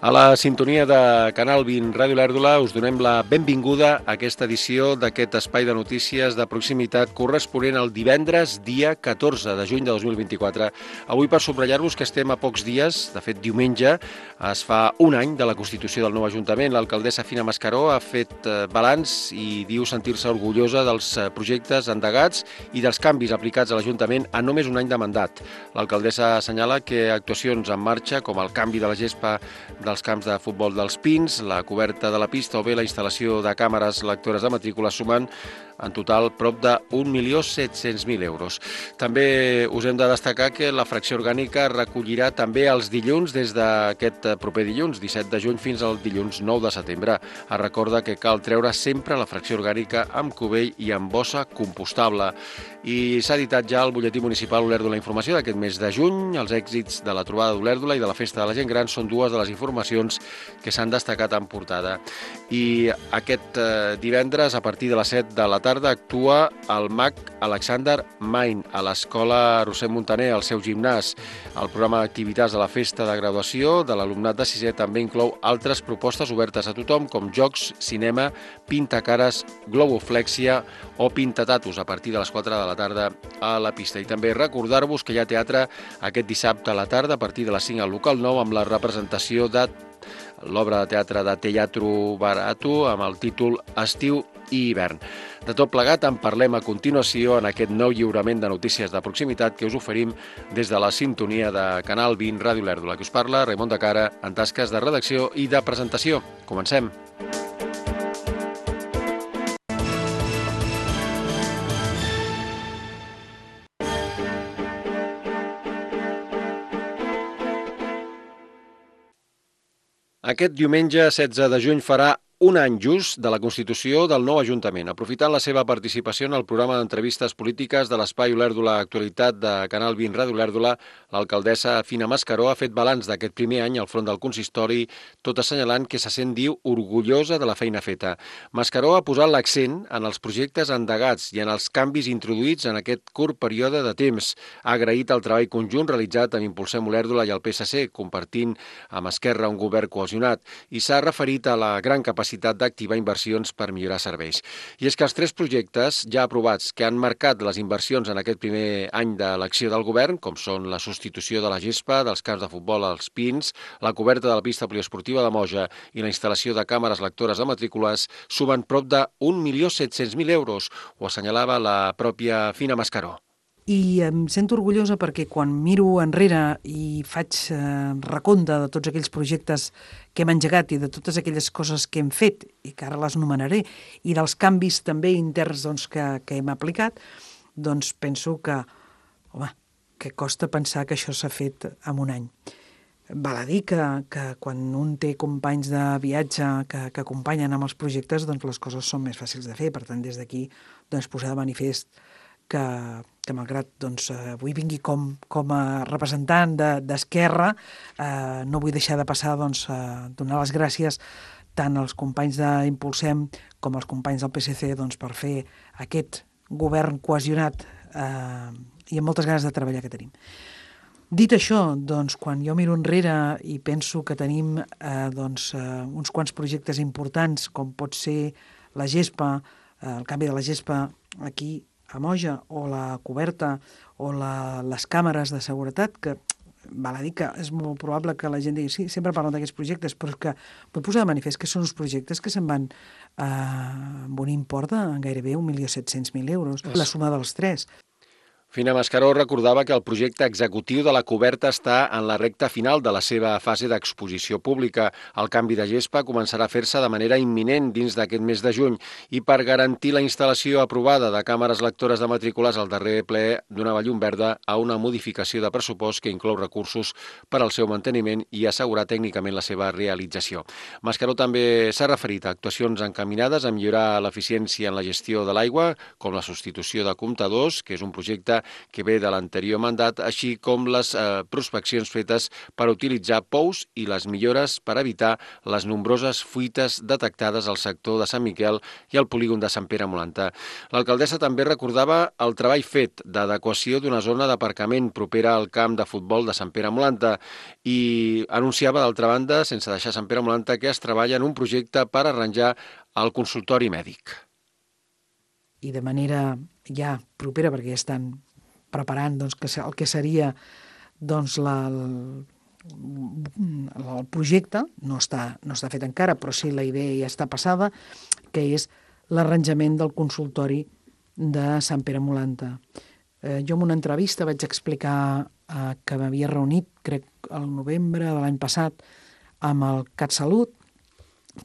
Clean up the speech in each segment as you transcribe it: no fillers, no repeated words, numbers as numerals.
A la sintonia de Canal 20 Ràdio Lèrdula us donem la benvinguda a aquesta edició d'aquest espai de notícies de proximitat corresponent al divendres, dia 14 de juny de 2024. Avui per subratllar-vos que estem a pocs dies, de fet diumenge, es fa un any de la constitució del nou Ajuntament. L'alcaldessa Fina Mascaró ha fet balanç i diu sentir-se orgullosa dels projectes endegats i dels canvis aplicats a l'Ajuntament en només un any de mandat. L'alcaldessa assenyala que actuacions en marxa, com el canvi de la gespa dels camps de futbol dels Pins, la coberta de la pista o bé la instal·lació de càmeres lectores de matrícula sumen en total prop de 1.700.000 euros. També us hem de destacar que la fracció orgànica recollirà també els dilluns des d'aquest proper dilluns, 17 de juny, fins al dilluns 9 de setembre. Es recorda que cal treure sempre la fracció orgànica amb cubell i amb bossa compostable. I s'ha editat ja al butlletí municipal Olèrdola Informació d'aquest mes de juny. Els èxits de la trobada d'Olèrdola i de la festa de la gent gran són dues de les informacions que s'han destacat en portada. I aquest divendres, a partir de les 7 de la tarda, actua el mag Alexander Main a l'Escola Roser Montaner, al seu gimnàs. El programa d'activitats de la festa de graduació de l'alumnat de sisè també inclou altres propostes obertes a tothom, com jocs, cinema, pintacares, globoflèxia o pintatatus a partir de les 4 de la tarda a la pista. I també recordar-vos que hi ha teatre aquest dissabte a la tarda a partir de les 5 al local 9 amb la representació de l'obra de teatre de Teatro Barato amb el títol Estiu i hivern. De tot plegat en parlem a continuació en aquest nou lliurament de notícies de proximitat que us oferim des de la sintonia de Canal 20 Ràdio Lèrdula. Que us parla Raimon de Cara en tasques de redacció i de presentació. Comencem. Aquest diumenge 16 de juny farà un any just de la constitució del nou Ajuntament. Aprofitant la seva participació en el programa d'entrevistes polítiques de l'Espai Olèrdola Actualitat de Canal 20 Ràdio Lèrdula, l'alcaldessa Fina Mascaró ha fet balanç d'aquest primer any al front del consistori, tot assenyalant que se sent, diu, orgullosa de la feina feta. Mascaró ha posat l'accent en els projectes endegats i en els canvis introduïts en aquest curt període de temps. Ha agraït el treball conjunt realitzat amb Impulsem Olèrdola i el PSC, compartint amb Esquerra un govern cohesionat, i s'ha referit a la gran capacitat d'activar inversions per millorar serveis. I és que els 3 projectes ja aprovats que han marcat les inversions en aquest primer any de l'acció del govern, com són la substitució de la gespa dels camps de futbol als Pins, la coberta de la pista poliesportiva de Moja i la instal·lació de càmeres lectores de matrícules, sumen prop de 1.700.000 euros, ho assenyalava la pròpia Fina Mascaró. I em sento orgullosa perquè quan miro enrere i faig recompte de tots aquells projectes que hem engegat i de totes aquelles coses que hem fet i que ara les nomenaré i dels canvis també interns que hem aplicat, doncs penso que, home, que costa pensar que això s'ha fet en un any. Val a dir que quan un té companys de viatge que acompanyen amb els projectes, doncs les coses són més fàcils de fer. Per tant, des d'aquí posar de manifest que malgrat avui vingui com a representant d'Esquerra, no vull deixar de passar donar les gràcies tant als companys d'Impulsem com als companys del PSC per fer aquest govern cohesionat i amb moltes ganes de treballar que tenim. Dit això, quan jo miro enrere i penso que tenim uns quants projectes importants, com pot ser la gespa, el canvi de la gespa aquí a Moja, o la coberta, o les càmeres de seguretat, que val a dir que és molt probable que la gent digui sí, sempre parlen d'aquests projectes, però és que vull posar de manifest que són uns projectes que se'n van amb un import de gairebé 1.700.000 euros, la suma dels 3. Fina Mascaró recordava que el projecte executiu de la coberta està en la recta final de la seva fase d'exposició pública. El canvi de gespa començarà a fer-se de manera imminent dins d'aquest mes de juny i per garantir la instal·lació aprovada de càmeres lectores de matrícules al darrer ple donava llum verda a una modificació de pressupost que inclou recursos per al seu manteniment i assegurar tècnicament la seva realització. Mascaró també s'ha referit a actuacions encaminades a millorar l'eficiència en la gestió de l'aigua, com la substitució de comptadors, que és un projecte que ve de l'anterior mandat, així com les prospeccions fetes per utilitzar pous i les millores per evitar les nombroses fuites detectades al sector de Sant Miquel i al polígon de Sant Pere Molanta. L'alcaldessa també recordava el treball fet d'adequació d'una zona d'aparcament propera al camp de futbol de Sant Pere Molanta i anunciava, d'altra banda, sense deixar Sant Pere Molanta, que es treballa en un projecte per arranjar el consultori mèdic. I de manera ja propera, perquè ja estan preparant doncs, el que seria doncs, el projecte, no està fet encara, però sí la idea ja està passada, que és l'arranjament del consultori de Sant Pere Molanta. Jo en una entrevista vaig explicar que m'havia reunit, crec, al novembre de l'any passat, amb el CatSalut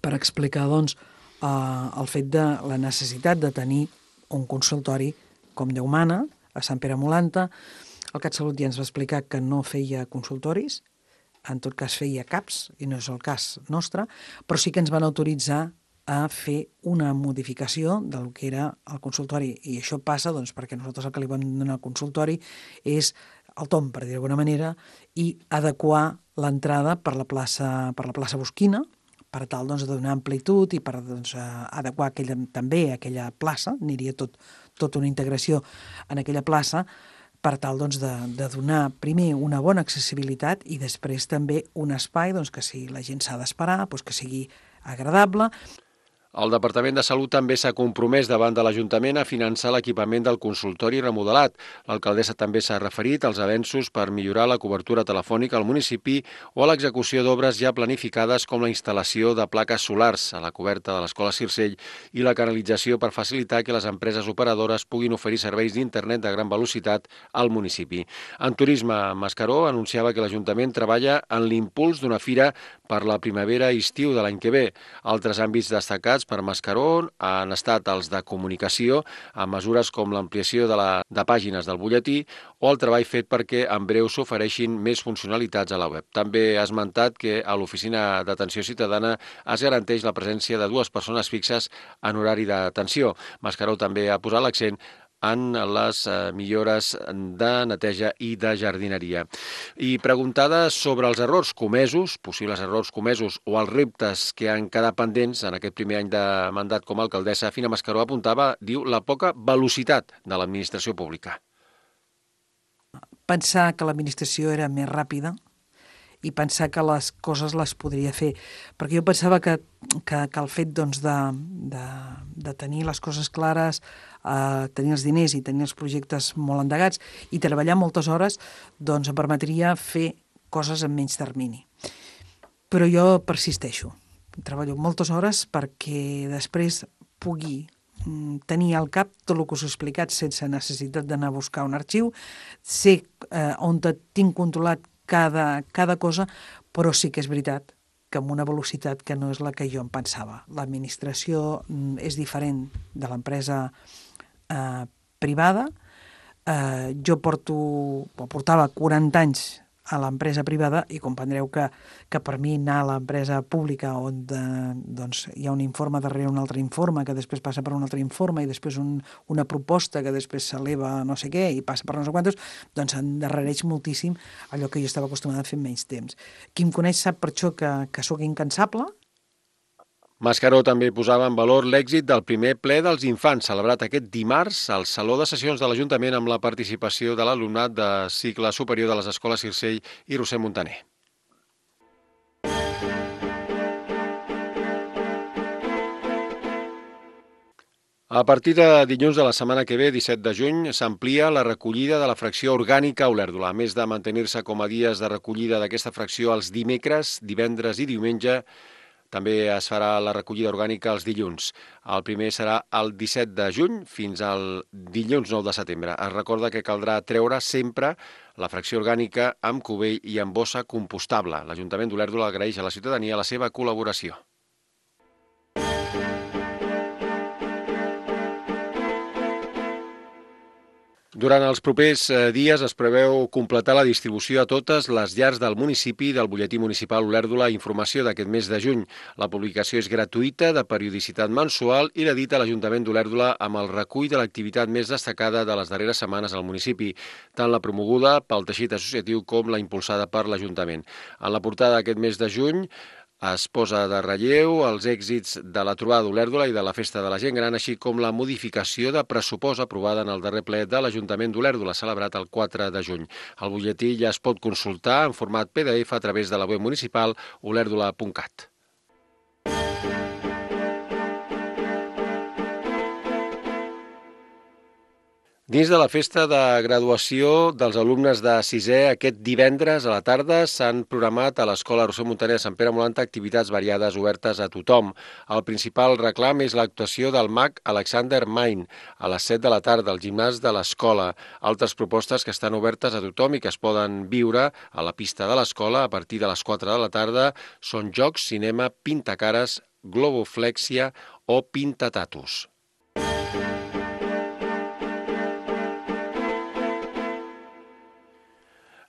per explicar doncs, el fet de la necessitat de tenir un consultori com Déu mana a Sant Pere Molanta. El CatSalut ja ens va explicar que no feia consultoris, en tot cas feia CAPs, i no és el cas nostre, però sí que ens van autoritzar a fer una modificació del que era el consultori. I això passa doncs, perquè nosaltres el que li vam donar al consultori és el tomb, per dir d'alguna manera, i adequar l'entrada per la plaça Bosquina, per tal doncs, de donar amplitud i per doncs, adequar també aquella plaça, aniria tot una integració en aquella plaça, per tal doncs, de donar primer una bona accessibilitat i després també un espai doncs, que si la gent s'ha d'esperar, doncs, que sigui agradable. El Departament de Salut també s'ha compromès davant de l'Ajuntament a finançar l'equipament del consultori remodelat. L'alcaldessa també s'ha referit als avenços per millorar la cobertura telefònica al municipi o a l'execució d'obres ja planificades com la instal·lació de plaques solars a la coberta de l'Escola Circell i la canalització per facilitar que les empreses operadores puguin oferir serveis d'internet de gran velocitat al municipi. En turisme, Mascaró anunciava que l'Ajuntament treballa en l'impuls d'una fira per la primavera-estiu de l'any que ve. Altres àmbits destacats per Mascaró han estat els de comunicació, amb mesures com l'ampliació de pàgines del butlletí o el treball fet perquè en breu s'ofereixin més funcionalitats a la web. També ha esmentat que a l'Oficina d'Atenció Ciutadana es garanteix la presència de 2 persones fixes en horari d'atenció. Mascaró també ha posat l'accent en les millores de neteja i de jardineria. I preguntada sobre els errors comesos, possibles errors comesos o els reptes que han quedat pendents en aquest primer any de mandat com a alcaldessa, Fina Mascaró apuntava, diu, la poca velocitat de l'administració pública. Pensar que l'administració era més ràpida i pensar que les coses les podria fer. Perquè jo pensava que el fet doncs, de tenir les coses clares, tenir els diners i tenir els projectes molt endegats i treballar moltes hores doncs, em permetria fer coses en menys termini. Però jo persisteixo. Treballo moltes hores perquè després pugui tenir al cap tot el que us he explicat sense necessitat d'anar a buscar un arxiu, sé on tinc controlat cada cosa, però sí que és veritat que amb una velocitat que no és la que jo em pensava. L'administració és diferent de l'empresa privada. Jo portava 40 anys a l'empresa privada i comprendreu que per mi anar a l'empresa pública on doncs, hi ha un informe darrere un altre informe que després passa per un altre informe i després una proposta que després s'eleva no sé què i passa per no sé quantos, doncs endarrereix moltíssim allò que jo estava acostumada a fer en menys temps. Qui em coneix sap per això que sóc incansable. Mascaró també posava en valor l'èxit del primer ple dels infants, celebrat aquest dimarts al Saló de Sessions de l'Ajuntament amb la participació de l'alumnat de cicle superior de les escoles Circell i Roser Montaner. A partir de dilluns de la setmana que ve, 17 de juny, s'amplia la recollida de la fracció orgànica a Olèrdola. A més de mantenir-se com a dies de recollida d'aquesta fracció els dimecres, divendres i diumenge, també es farà la recollida orgànica els dilluns. El primer serà el 17 de juny fins al dilluns 9 de setembre. Es recorda que caldrà treure sempre la fracció orgànica amb cubell i amb bossa compostable. L'Ajuntament d'Olèrdola agraeix a la ciutadania la seva col·laboració. Durant els propers dies es preveu completar la distribució a totes les llars del municipi del butlletí municipal Olèrdola Informació d'aquest mes de juny. La publicació és gratuïta, de periodicitat mensual i l'edita l'Ajuntament d'Olèrdola amb el recull de l'activitat més destacada de les darreres setmanes al municipi, tant la promoguda pel teixit associatiu com la impulsada per l'Ajuntament. En la portada d'aquest mes de juny es posa de relleu els èxits de la trobada d'Olèrdola i de la Festa de la Gent Gran, així com la modificació de pressupost aprovada en el darrer ple de l'Ajuntament d'Olèrdola, celebrat el 4 de juny. El butlletí ja es pot consultar en format PDF a través de la web municipal olèrdola.cat. Dins de la festa de graduació dels alumnes de sisè, aquest divendres a la tarda s'han programat a l'Escola Roser Montaner de Sant Pere Molanta activitats variades obertes a tothom. El principal reclam és l'actuació del mag Alexander Main a les 7 de la tarda al gimnàs de l'escola. Altres propostes que estan obertes a tothom i que es poden viure a la pista de l'escola a partir de les 4 de la tarda són jocs, cinema, pintacares, globoflèxia o pintatatus.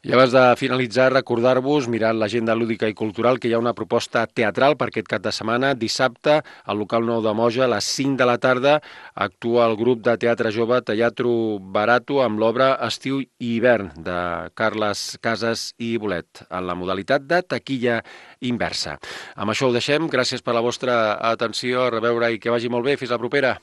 I abans de finalitzar, recordar-vos, mirant l'agenda lúdica i cultural, que hi ha una proposta teatral per aquest cap de setmana. Dissabte, al local 9 de Moja, a les 5 de la tarda, actua el grup de teatre jove Teatro Barato amb l'obra Estiu i hivern, de Carles Casas i Bolet, en la modalitat de taquilla inversa. Amb això ho deixem. Gràcies per la vostra atenció. A reveure i que vagi molt bé. Fins la propera.